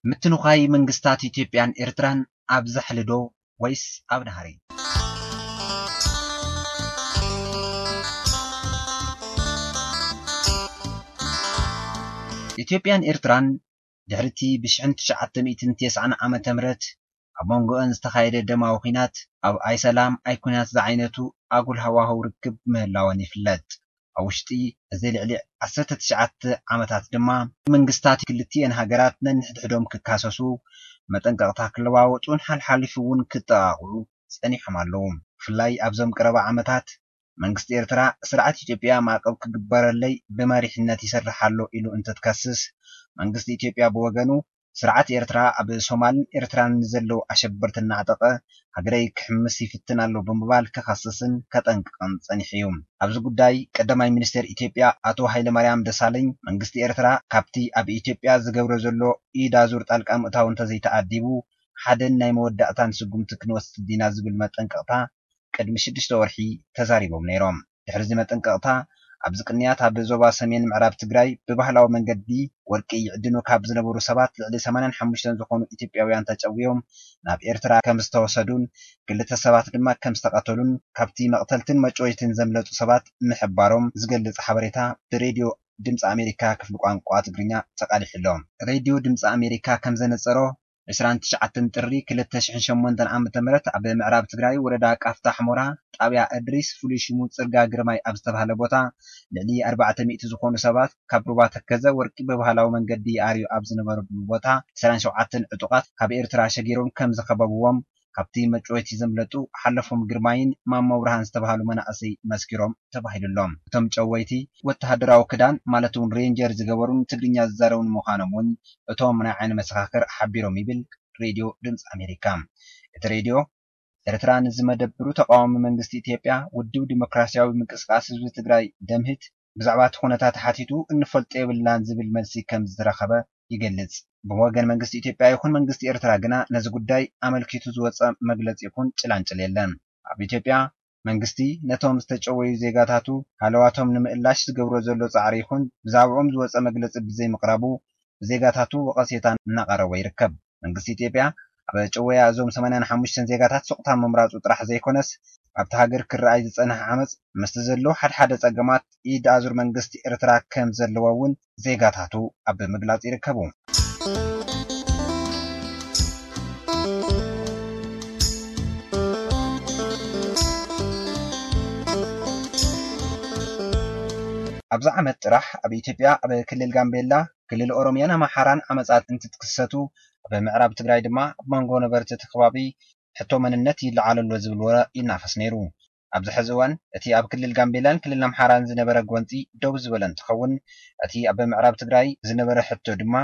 ምትንዃይ መንግስታት ኢትዮጵያን ኤርትራን ኣብ ዛሕሊ ዶ ወይስ ኣብ ናህሪ? ኢትዮጵያን ኤርትራን ድሕሪ እቲ ብ ሽሕን ትሽዓተ ሚእትን ተስዓን ዓመተ ምህረት ኣብ መንጎአን ዝተኻየደ ደማዊ ኲናት፣ ኣብ ኣይሰላም ኣይኲናት ዝዓይነቱ ኣጉል ሃዋህው ርክብ ምህላወን ይፍለጥ። ኣብ ውሽጢ እዚ ልዕሊ ዓሰርተ ትሽዓተ ዓመታት ድማ መንግስታት ክልቲኤን ሃገራት ነንሕድሕዶም ክካሰሱ፣ መጠንቀቕታ ክለዋወጡን ሓልሓሊፉ እውን ክጠቓቕዑ ጸኒሖም ኣለዉ። ብፍላይ ኣብዞም ቀረባ ዓመታት መንግስቲ ኤርትራ ስርዓት ኢትዮጵያ ማዕቀብ ክግበረለይ ብመሪሕነት ይሰርሕ ኣሎ ኢሉ እንትትከስስ፣ መንግስቲ ኢትዮጵያ ብወገኑ ስርዓት ኤርትራ ኣብ ሶማልን ኤርትራን ንዘለዉ ኣሸበርቲ እናዕጠቐ ሃገረይ ክሕምስ ይፍትን ኣሎ ብምባል ክኸስስን ከጠንቅቕን ጸኒሑ እዩ። ኣብዚ ጉዳይ ቀዳማይ ሚኒስትር ኢትዮጵያ ኣቶ ሃይለማርያም ደሳለኝ መንግስቲ ኤርትራ ካብቲ ኣብ ኢትዮጵያ ዝገብሮ ዘሎ ኢድ ኣዙር ጣልቃ ምእታው እንተዘይተኣዲቡ ሓደን ናይ መወዳእታን ስጉምቲ ክንወስድ ኢና ዝብል መጠንቀቕታ ቅድሚ ሽዱሽተ ወርሒ ተዛሪቦም ነይሮም። ድሕሪ እዚ መጠንቀቕታ ኣብዚ ቅንያት ኣብ ዞባ ሰሜን ምዕራብ ትግራይ ብባህላዊ መንገዲ ወርቂ ይዕድኑ ካብ ዝነበሩ ሰባት ልዕሊ ሰማንያን ሓሙሽተን ዝኾኑ ኢትዮጵያውያን ተጨውዮም ናብ ኤርትራ ከም ዝተወሰዱን ክልተ ሰባት ድማ ከም ዝተቐተሉን ካብቲ መቕተልትን መጨወይትን ዘምለጡ ሰባት ምሕባሮም ዝገልጽ ሓበሬታ ብሬድዮ ድምፂ ኣሜሪካ ክፍሊ ቋንቋ ትግርኛ ተቃሊሑ ኣሎ። ሬድዮ ድምፂ ኣሜሪካ ከም ዘነጸሮ ዕስራን ትሽዓተን ጥሪ ክልተ ሽሕን ሸሞንተን ዓመተ ምህረት ኣብ ምዕራብ ትግራይ ወረዳ ቃፍታ ሕሞራ ጣብያ እድሪስ ፍሉይ ሽሙ ጽርጋ ግርማይ ኣብ ዝተባህለ ቦታ ልዕሊ ኣርባዕተ ሚእቲ ዝኾኑ ሰባት ካብ ሩባ ተከዘ ወርቂ ብባህላዊ መንገዲ ይኣርዩ ኣብ ዝነበረሉ ቦታ ዕስራን ሸውዓተን ዕጡቓት ካብ ኤርትራ ሸጊሮም ከም ዝኸበብዎም ካብቲ መጭወይቲ ዘምለጡ ሓለፎም ግርማይን ማሞ ብርሃን ዝተባህሉ መናእሰይ መስኪሮም ተባሂሉሎም። እቶም ጨወይቲ ወተሃደራዊ ክዳን ማለት እውን ሬንጀር ዝገበሩን ትግርኛ ዝዛረቡን ምዃኖም እውን እቶም ናይ ዓይኒ መሰኻኽር ሓቢሮም ይብል ሬድዮ ድምፂ ኣሜሪካ። እቲ ሬድዮ ኤርትራ ንዝመደብሩ ተቃዋሚ መንግስቲ ኢትዮጵያ ውድብ ዲሞክራሲያዊ ምንቅስቃስ ህዝቢ ትግራይ ደምህት ብዛዕባ እቲ ኩነታት ሓቲቱ እንፈልጦ የብልናን ዝብል መልሲ ከም ዝተረኸበ ይገልጽ። ብወገን መንግስቲ ኢትዮጵያ ይኹን መንግስቲ ኤርትራ ግና ነዚ ጉዳይ ኣመልኪቱ ዝወጸ መግለጺ ይኹን ጭላንጭል የለን። ኣብ ኢትዮጵያ መንግስቲ ነቶም ዝተጨወዩ ዜጋታቱ ሃለዋቶም ንምእላሽ ዝገብሮ ዘሎ ጻዕሪ ይኹን ብዛዕባኦም ዝወጸ መግለጺ ብዘይምቕራቡ ብዜጋታቱ ወቐሴታ እናቐረቦ ይርከብ። መንግስቲ ኢትዮጵያ ኣብ ጨወያ እዞም ሰማንያን ሓሙሽተን ዜጋታት ስቕታ ምምራጹ ጥራሕ ዘይኮነስ ኣብቲ ሃገር ክረኣይ ዝጸንሐ ዓመጽ ምስቲ ዘሎ ሓድሓደ ጸገማት ኢድ ኣዙር መንግስቲ ኤርትራ ከም ዘለዎ እውን ዜጋታቱ ኣብ ምግላጽ ይርከቡ። ኣብዚ ዓመት ጥራሕ ኣብ ኢትዮጵያ ኣብ ክልል ጋምቤላ፣ ክልል ኦሮሚያን ኣምሓራን ዓመጻት እንትትክሰቱ ኣብ ምዕራብ ትግራይ ድማ ኣብ መንጎ ነበርቲ እቲ ከባቢ ሕቶ መንነት ይለዓል ኣሎ ዝብል ወረ ይናፈስ ነይሩ። ኣብዚ ሕዚ እዋን እቲ ኣብ ክልል ጋምቤላን ክልል ኣምሓራን ዝነበረ ጎንፂ ደው ዝበለ እንትኸውን እቲ ኣብ ምዕራብ ትግራይ ዝነበረ ሕቶ ድማ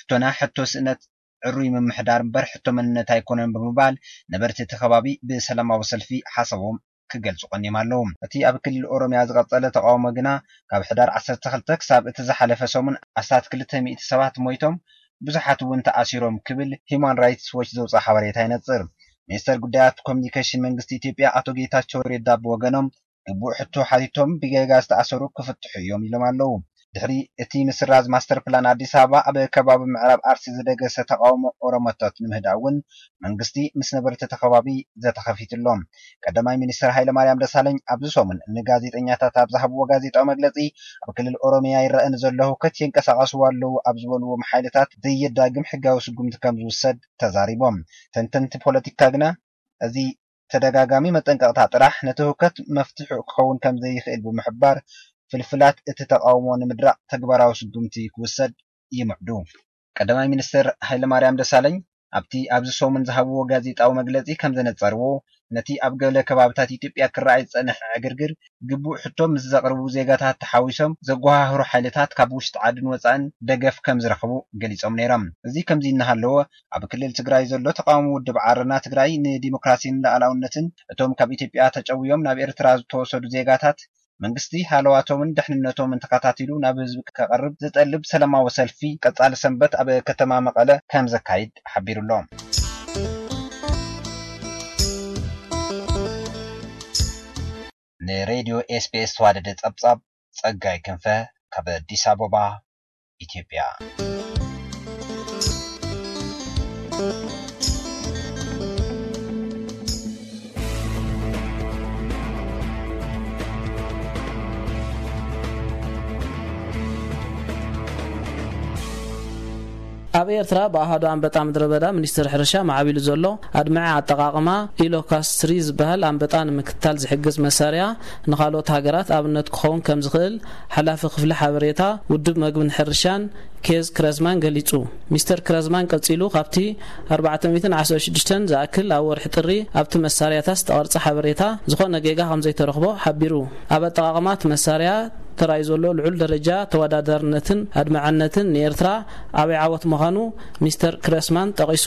ሕቶና ሕቶ ስእነት ዕሩይ ምምሕዳር እምበር ሕቶ መንነት ኣይኮነን ብምባል ነበርቲ እቲ ከባቢ ብሰላማዊ ሰልፊ ሓሳቦም ክገልጹ ቀኒዮም ኣለዉ። እቲ ኣብ ክልል ኦሮሚያ ዝቐጸለ ተቃውሞ ግና ካብ ሕዳር ዓሰርተ ክልተ ክሳብ እቲ ዝሓለፈ ሰሙን ኣስታት ክልተ ሚእቲ ሰባት ሞይቶም ብዙሓት እውን ተኣሲሮም ክብል ሂዩማን ራይትስ ዎች ዘውፅኦ ሓበሬታ ይነጽር። ሚኒስተር ጉዳያት ኮሚኒኬሽን መንግስቲ ኢትዮጵያ ኣቶ ጌታቸው ሬዳ ብወገኖም ግቡእ ሕቶ ሓቲቶም ብጌጋ ዝተኣሰሩ ክፍትሑ እዮም ኢሎም ኣለዉ። ድሕሪ እቲ ምስራዝ ማስተር ፕላን ኣዲስ ኣበባ ኣብ ከባቢ ምዕራብ ኣርሲ ዝደገሰ ተቃውሞ ኦሮሞታት ንምህዳእ እውን መንግስቲ ምስ ነበርቲ እቲ ከባቢ ዘተ ከፊቱ ኣሎ። ቀዳማይ ሚኒስትር ሃይለማርያም ደሳለኝ ኣብዚ ሰሙን ንጋዜጠኛታት ኣብ ዝሃብዎ ጋዜጣዊ መግለጺ ኣብ ክልል ኦሮሚያ ይረአ ንዘሎ ህውከት የንቀሳቐስዎ ኣለዉ ኣብ ዝበልዎም ሓይልታት ዘየዳግም ሕጋዊ ስጉምቲ ከም ዝውሰድ ተዛሪቦም። ተንተንቲ ፖለቲካ ግና እዚ ተደጋጋሚ መጠንቀቕታ ጥራሕ ነቲ ህውከት መፍትሒ ክኸውን ከም ዘይኽእል ብምሕባር ፍልፍላት እቲ ተቃውሞ ንምድራቕ ተግባራዊ ስጉምቲ ክውሰድ ይምዕዱ። ቀዳማይ ሚኒስትር ሃይለማርያም ደሳለኝ ኣብቲ ኣብዚ ሰሙን ዝሃብዎ ጋዜጣዊ መግለጺ ከም ዘነጸርዎ ነቲ ኣብ ገለ ከባብታት ኢትዮጵያ ክረኣይ ዝጸንሐ ዕግርግር ግቡእ ሕቶ ምስ ዘቕርቡ ዜጋታት ተሓዊሶም ዘጓሃህሩ ሓይልታት ካብ ውሽጢ ዓድን ወጻእን ደገፍ ከም ዝረኽቡ ገሊጾም ነይሮም። እዚ ከምዚ እናሃለዎ ኣብ ክልል ትግራይ ዘሎ ተቃውሞ ውድብ ዓረና ትግራይ ንዲሞክራሲን ሉዓላውነትን እቶም ካብ ኢትዮጵያ ተጨውዮም ናብ ኤርትራ ዝተወሰዱ ዜጋታት መንግስቲ ሃለዋቶምን ድሕንነቶምን ተኸታቲሉ ናብ ህዝቢ ከቕርብ ዝጠልብ ሰላማዊ ሰልፊ ቀጻሊ ሰንበት ኣብ ከተማ መቐለ ከም ዘካይድ ሓቢሩ ኣሎ። ንሬድዮ ኤስቢኤስ ዝተዋደደ ጸብጻብ ጸጋይ ክንፈ ካብ ኣዲስ ኣበባ፣ ኢትዮጵያ። ኣብ ኤርትራ ብኣሃዱ ኣንበጣ ምድረ በዳ ሚኒስትሪ ሕርሻ ማዕቢሉ ዘሎ ኣድማዒ ኣጠቓቕማ ኢሎካስትሪ ዝበሃል ኣንበጣ ንምክትታል ዝሕግዝ መሳርያ ንኻልኦት ሃገራት ኣብነት ክኸውን ከም ዝኽእል ሓላፊ ክፍሊ ሓበሬታ ውድብ መግብን ሕርሻን ኬዝ ክረዝማን ገሊጹ። ሚስተር ክረዝማን ቀጺሉ፣ ካብቲ ኣርባዕተ ሚእትን ዓሰርተ ሽዱሽተን ዝኣክል ኣብ ወርሒ ጥሪ ኣብቲ መሳርያታት ዝተቐርጸ ሓበሬታ ዝኾነ ጌጋ ከም ዘይተረኽቦ ሓቢሩ። ኣብ ኣጠቓቕማ እቲ መሳርያ ተራእዩ ዘሎ ልዑል ደረጃ ተወዳዳርነትን ኣድማዕነትን ንኤርትራ ዓብዪ ዓወት ምዃኑ ሚስተር ክረስማን ጠቒሱ።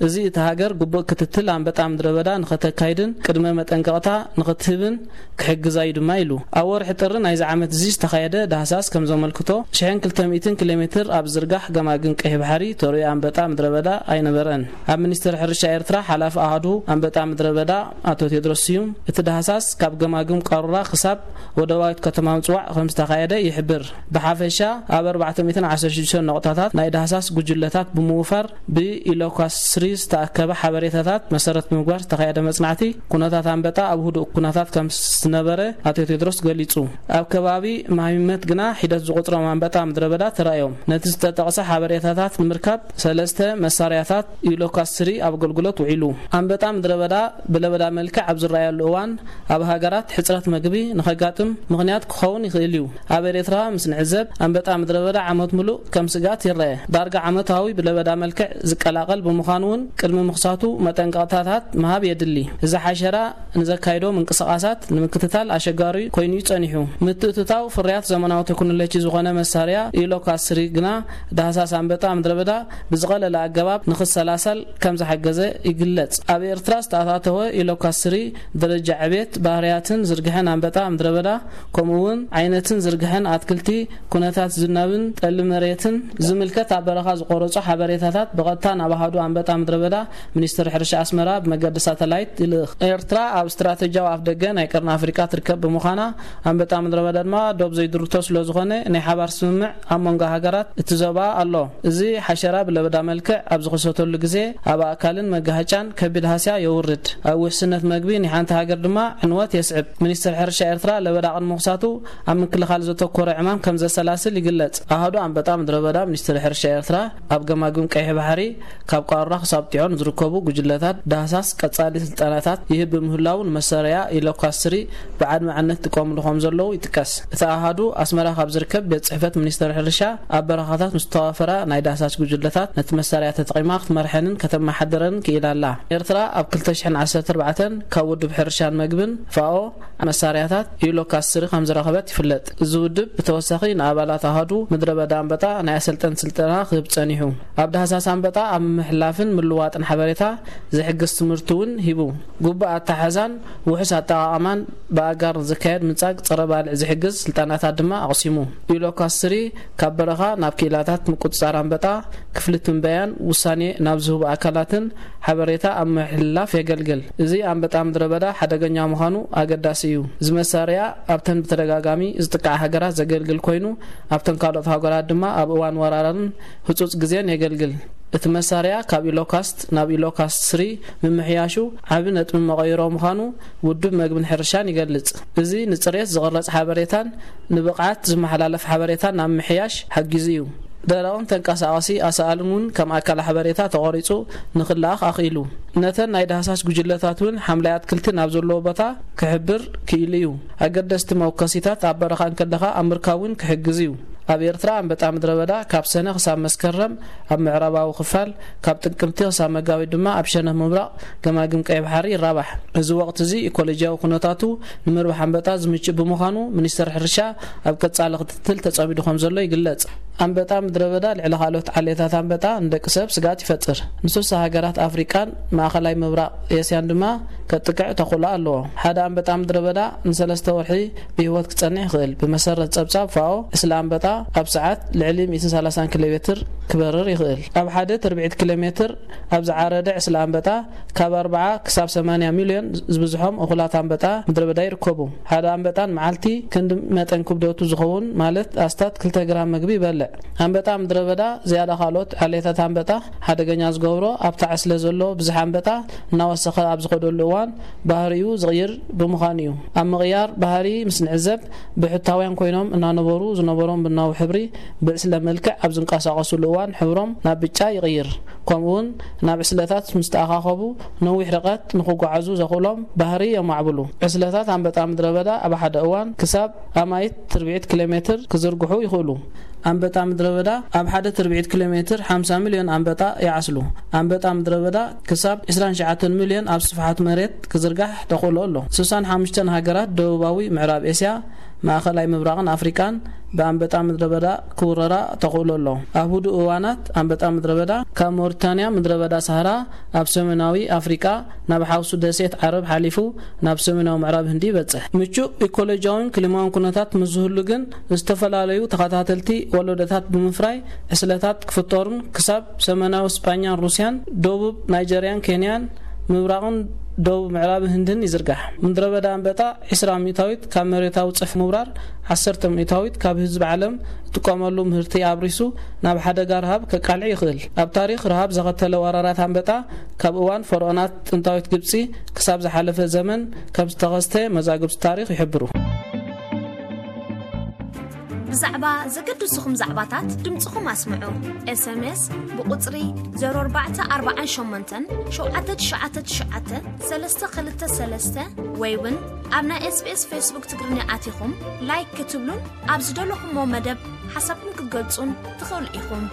እዚ እቲ ሃገር ግቡእ ክትትል ኣንበጣ ምድረ በዳ ንኸተካይድን ቅድመ መጠንቀቕታ ንኽትህብን ክሕግዛ እዩ ድማ ኢሉ። ኣብ ወርሒ ጥሪ ናይዚ ዓመት እዚ ዝተኻየደ ዳህሳስ ከም ዘመልክቶ፣ ሽሕን ክልተ ሚእትን ኪሎ ሜትር ኣብ ዝርጋሕ ገማግም ቀይሕ ባሕሪ ተርእዮ ኣንበጣ ምድረ በዳ ኣይነበረን። ኣብ ሚኒስትሪ ሕርሻ ኤርትራ ሓላፊ ኣሃዱ ኣንበጣ ምድረ በዳ ኣቶ ቴድሮስ ስዩም፣ እቲ ዳህሳስ ካብ ገማግም ቃሩራ ክሳብ ወደባዊት ከተማ ምጽዋዕ ከም ዝተኻየደ ይሕብር። ብሓፈሻ ኣብ ኣርባዕተ ሚእትን ዓሰርተ ሽዱሽተ ነቑጣታት ናይ ዳህሳስ ጉጅለታት ብምውፋር ብኢሎካስትሪ ዝተኣከበ ሓበሬታታት መሰረት ብምግባር ዝተኻየደ መጽናዕቲ ኩነታት ኣንበጣ ኣብ ህዱእ ኩነታት ከም ዝነበረ ኣቶ ቴድሮስ ገሊጹ። ኣብ ከባቢ ማሂመት ግና ሒደት ዝቖጽሮም ኣንበጣ ምድረ በዳ ተራእዮም። ነቲ ዝተጠቕሰ ሓበሬታታት ንምርካብ ሰለስተ መሳርያታት ኢሎካስትሪ ኣብ ኣገልግሎት ውዒሉ። ኣንበጣ ምድረ በዳ ብለበዳ መልክዕ ኣብ ዝረኣየሉ እዋን ኣብ ሃገራት ሕጽረት መግቢ ንኸጋጥም ምኽንያት ክኸውን ይኽእል እዩ። ኣብ ኤርትራ ምስ ንዕዘብ ኣንበጣ ምድረ በዳ ዓመት ምሉእ ከም ስግኣት ይረአ። ዳርጋ ዓመታዊ ብለበዳ መልክዕ ዝቀላቐል ብምዃኑ እውን ቅድሚ ምኽሳቱ መጠንቀቕታታት ምሃብ የድሊ። እዚ ሓሸራ ንዘካይዶ ምንቅስቓሳት ንምክትታል ኣሸጋሪ ኮይኑ እዩ ጸኒሑ። ምትእትታው ፍርያት ዘመናዊ ቴክኖሎጂ ዝኾነ መሳርያ ኢሎካስትሪ ግና ዳህሳስ ኣንበጣ ምድረ በዳ ብዝቐለለ ኣገባብ ንኽሰላሰል ከም ዝሓገዘ ይግለጽ። ኣብ ኤርትራ ዝተኣታተወ ኢሎካስትሪ ደረጃ ዕቤት ባህርያትን ዝርግሐን ኣንበጣ ምድረ በዳ፣ ከምኡ እውን ዓይነትን ዝርግሐን ኣትክልቲ፣ ኩነታት ዝናብን ጠሊ መሬትን ዝምልከት ኣብ በረኻ ዝቆረጹ ሓበሬታታት ብቐጥታ ናብ ኣሃዱ ኣንበጣ ምድረ በዳ ሚኒስትሪ ሕርሻ ኣስመራ ብመገዲ ሳተላይት ይልእኽ። ኤርትራ ኣብ ስትራተጂያዊ ኣፍደገ ናይ ቀርኒ ኣፍሪቃ ትርከብ ብምዃና፣ ኣንበጣ ምድረ በዳ ድማ ዶብ ዘይድርቶ ስለ ዝኾነ ናይ ሓባር ስምምዕ ኣብ መንጎ ሃገራት እቲ ዞባ ኣሎ። እዚ ሓሸራ ብለበዳ መልክዕ ኣብ ዝኽሰተሉ ግዜ ኣብ ኣእካልን መጋሃጫን ከቢድ ሃስያ የውርድ። ኣብ ውሕስነት መግቢ ናይ ሓንቲ ሃገር ድማ ዕንወት የስዕብ። ሚኒስትሪ ሕርሻ ኤርትራ ለበዳ ቅድሚ ምኽሳቱ ኣብ ምክልኻል ዘተኮረ ዕማም ከም ዘሰላስል ይግለጽ። ኣሃዱ ኣንበጣ ምድረ በዳ ሚኒስትሪ ሕርሻ ኤርትራ ኣብ ገማግም ቀይሕ ባሕሪ ካብ ቋራ ክሳብ ጢዖን ዝርከቡ ጉጅለታት ዳህሳስ ቀጻሊ ስልጠናታት ይህብ ብምህላው ንመሳርያ ኢሎካስትሪ ብዓድማዕነት ጥቀምሉ ከም ዘለዉ ይጥቀስ። እቲ ኣሃዱ ኣስመራ ካብ ዝርከብ ቤት ጽሕፈት ሚኒስተር ሕርሻ ኣብ በረኻታት ምስ ተዋፈራ ናይ ዳህሳስ ጉጅለታት ነቲ መሳርያ ተጠቒማ ክትመርሐንን ከተመሓድረንን ክኢላ ኣላ። ኤርትራ ኣብ ክልተ ሽሕን ዓሰርተ ኣርባዕተን ካብ ውድብ ሕርሻን መግብን ፋኦ መሳርያታት ኢሎካስትሪ ከም ዝረኸበት ይፍለጥ። እዚ ውድብ ብተወሳኺ ንኣባላት ኣሃዱ ምድረ በዳ ኣንበጣ ናይ ኣሰልጠን ስልጠና ክህብ ጸኒሑ። ኣብ ዳህሳስ ኣንበጣ ኣብ ምሕላፍን ምልዋጥን ሓበሬታ ዝሕግዝ ትምህርቲ እውን ሂቡ። ግቡእ ኣተሓሕዛን ውሑስ ኣጠቓቕማን ብኣጋር ንዝካየድ ምንጻግ ጸረ ባልዕ ዝሕግዝ ስልጠናታት ድማ ኣቕሲሙ። ኢሎካስትሪ ካብ በረኻ ናብ ክኢላታት ምቁጽጻር ኣንበጣ፣ ክፍሊ ትንበያን ውሳኔ ናብ ዝህቡ ኣካላትን ሓበሬታ ኣብ ምሕልላፍ የገልግል። እዚ ኣንበጣ ምድረ በዳ ሓደገኛ ምዃኑ ኣገዳሲ እዩ። እዚ መሳርያ ኣብተን ብተደጋጋሚ ዝጥቃዓ ሃገራት ዘገልግል ኮይኑ፣ ኣብተን ካልኦት ሃገራት ድማ ኣብ እዋን ወራርን ህጹጽ ግዜን የገልግል። እቲ መሳርያ ካብ ኢሎካስት ናብ ኢሎካስት ስሪ ምምሕያሹ ዓቢ ነጥቢ መቐይሮ ምዃኑ ውድብ መግብን ሕርሻን ይገልጽ። እዚ ንጽሬት ዝቕረጽ ሓበሬታን ንብቕዓት ዝመሓላለፍ ሓበሬታን ናብ ምሕያሽ ሓጊዙ እዩ። ደረቕን ተንቀሳቐሲ ኣሳእልን እውን ከም ኣካል ሓበሬታ ተቖሪጹ ንኽለኣኽ ኣኽኢሉ። ነተን ናይ ዳህሳስ ጉጅለታት እውን ሓምላይ ኣትክልቲ ናብ ዘለዎ ቦታ ክሕብር ክኢሉ እዩ። ኣገደስቲ መወከሲታት ኣብ በረኻ እንከለኻ ኣብ ምርካብ እውን ክሕግዝ እዩ። ኣብ ኤርትራ ኣንበጣ ምድረ በዳ ካብ ሰነ ክሳብ መስከረም ኣብ ምዕራባዊ ክፋል፣ ካብ ጥቅምቲ ክሳብ መጋቢት ድማ ኣብ ሸነኽ ምብራቕ ገማግም ቀይ ባሕሪ ይራባሕ። እዚ ወቕቲ እዚ ኢኮሎጂያዊ ኩነታቱ ንምርባሕ ኣንበጣ ዝምችእ ብምዃኑ፣ ሚኒስተር ሕርሻ ኣብ ቀጻሊ ክትትል ተጸሚዱ ከም ዘሎ ይግለጽ። ኣንበጣ ምድረ በዳ ልዕሊ ካልኦት ዓሌታት ኣንበጣ ንደቂ ሰብ ስግኣት ይፈጥር። ንስሳ ሃገራት ኣፍሪቃን ማእኸላይ ምብራቕ ኤስያን ድማ ከጥቅዕ ተኽእሎ ኣለዎ። ሓደ ኣንበጣ ምድረ በዳ ንሰለስተ ወርሒ ብህይወት ክጸንሕ ይኽእል። ብመሰረት ጸብጻብ ፋኦ፣ ዕስለ ኣንበጣ ኣብ ሰዓት ልዕሊ ሚእትን ሰላሳን ኪሎ ሜትር ክበርር ይኽእል። ኣብ ሓደ ትርብዒት ኪሎ ሜትር ኣብ ዝዓረደ ዕስለ ኣንበጣ ካብ ኣርብዓ ክሳብ ሰማንያ ሚልዮን ዝብዝሖም እኹላት ኣንበጣ ምድረ በዳ ይርከቡ። ሓደ ኣንበጣ ንመዓልቲ ክንዲ መጠን ክብደቱ ዝኸውን፣ ማለት ኣስታት ክልተ ግራም መግቢ ይበልዕ። ኣንበጣ ምድረ በዳ ዝያዳ ካልኦት ዓሌታት ኣንበጣ ሓደገኛ ዝገብሮ፣ ኣብታ ዕስለ ዘሎ ብዝሒ ኣንበጣ እናወሰኸ ኣብ ዝኸደሉ እዋን ባህሪኡ ዝቕይር ብምዃኑ እዩ። ኣብ ምቕያር ባህሪ ምስ ንዕዘብ፣ ብሕታውያን ኮይኖም እናነበሩ ዝነበሮም ቡናዊ ሕብሪ ብዕስለ መልክዕ ኣብ ዝንቀሳቐሱሉ እዋን ሕብሮም ናብ ብጫ ይቕይር። ከምኡውን ናብ ዕስለታት ምስ ተኣኻኸቡ ነዊሕ ርቀት ንኽጓዓዙ ዘኽእሎም ባህሪ የማዕብሉ። ዕስለታት ኣንበጣ ምድረ በዳ ኣብ ሓደ እዋን ክሳብ ኣማኢት ትርብዒት ኪሎ ሜትር ክዝርግሑ ይኽእሉ። ኣንበጣ ምድረ በዳ ኣብ ሓደ ትርብዒት ኪሎ ሜትር ሓምሳ ሚልዮን ኣንበጣ ይዓስሉ። ኣንበጣ ምድረ በዳ ክሳብ ዕስራን ትሽዓተን ሚልዮን ኣብ ስፍሓት መሬት ክዝርጋሕ ተኽእሎ ኣሎ። ስሳን ሓሙሽተን ሃገራት ደቡባዊ ምዕራብ ኤስያ፣ ማእኸላይ ምብራቕን ኣፍሪቃን ብኣንበጣ ምድረ በዳ ክውረራ ተኽእሎ ኣሎ። ኣብ ህዱእ እዋናት ኣንበጣ ምድረ በዳ ካብ ሞሪታንያ ምድረ በዳ ሳህራ ኣብ ሰሜናዊ ኣፍሪቃ ናብ ሓውሱ ደሴት ዓረብ ሓሊፉ ናብ ሰሜናዊ ምዕራብ ህንዲ ይበጽሕ። ምቹእ ኢኮሎጂያውን ክሊማውን ኩነታት ምስ ዝህሉ ግን፣ ዝተፈላለዩ ተኸታተልቲ ወለዶታት ብምፍራይ ዕስለታት ክፍጠሩን ክሳብ ሰሜናዊ ስጳኛን ሩስያን፣ ደቡብ ናይጀርያን ኬንያን፣ ምብራቕን ደቡብ ምዕራብ ህንድን ይዝርጋሕ። ምድረ በዳ ኣንበጣ ዕስራ ሚእታዊት ካብ መሬታዊ ጽፍሒ ምውራር፣ ዓሰርተ ሚእታዊት ካብ ህዝቢ ዓለም እትጥቀመሉ ምህርቲ ኣብሪሱ ናብ ሓደጋ ረሃብ ከቃልዕ ይኽእል። ኣብ ታሪኽ ረሃብ ዘኸተለ ወራራት ኣንበጣ ካብ እዋን ፈርዖናት ጥንታዊት ግብጺ ክሳብ ዝሓለፈ ዘመን ከም ዝተኸስተ መዛግብቲ ታሪኽ ይሕብሩ። ብዛዕባ ዘገድሱኹም ዛዕባታት ድምፅኹም ኣስምዑ። ኤስኤምኤስ ብቁፅሪ ዜሮ ኣርባዕተ ኣርባዓን ሸሞንተን ሸውዓተ ትሽዓተ ትሽዓተ ሰለስተ ክልተ ሰለስተ ወይ እውን ኣብ ናይ ኤስቢኤስ ፌስቡክ ትግርኛ ኣቲኹም ላይክ ክትብሉን ኣብ ዝደለኹሞ መደብ ሓሳብኩም ክትገልጹን ትኽእሉ ኢኹም።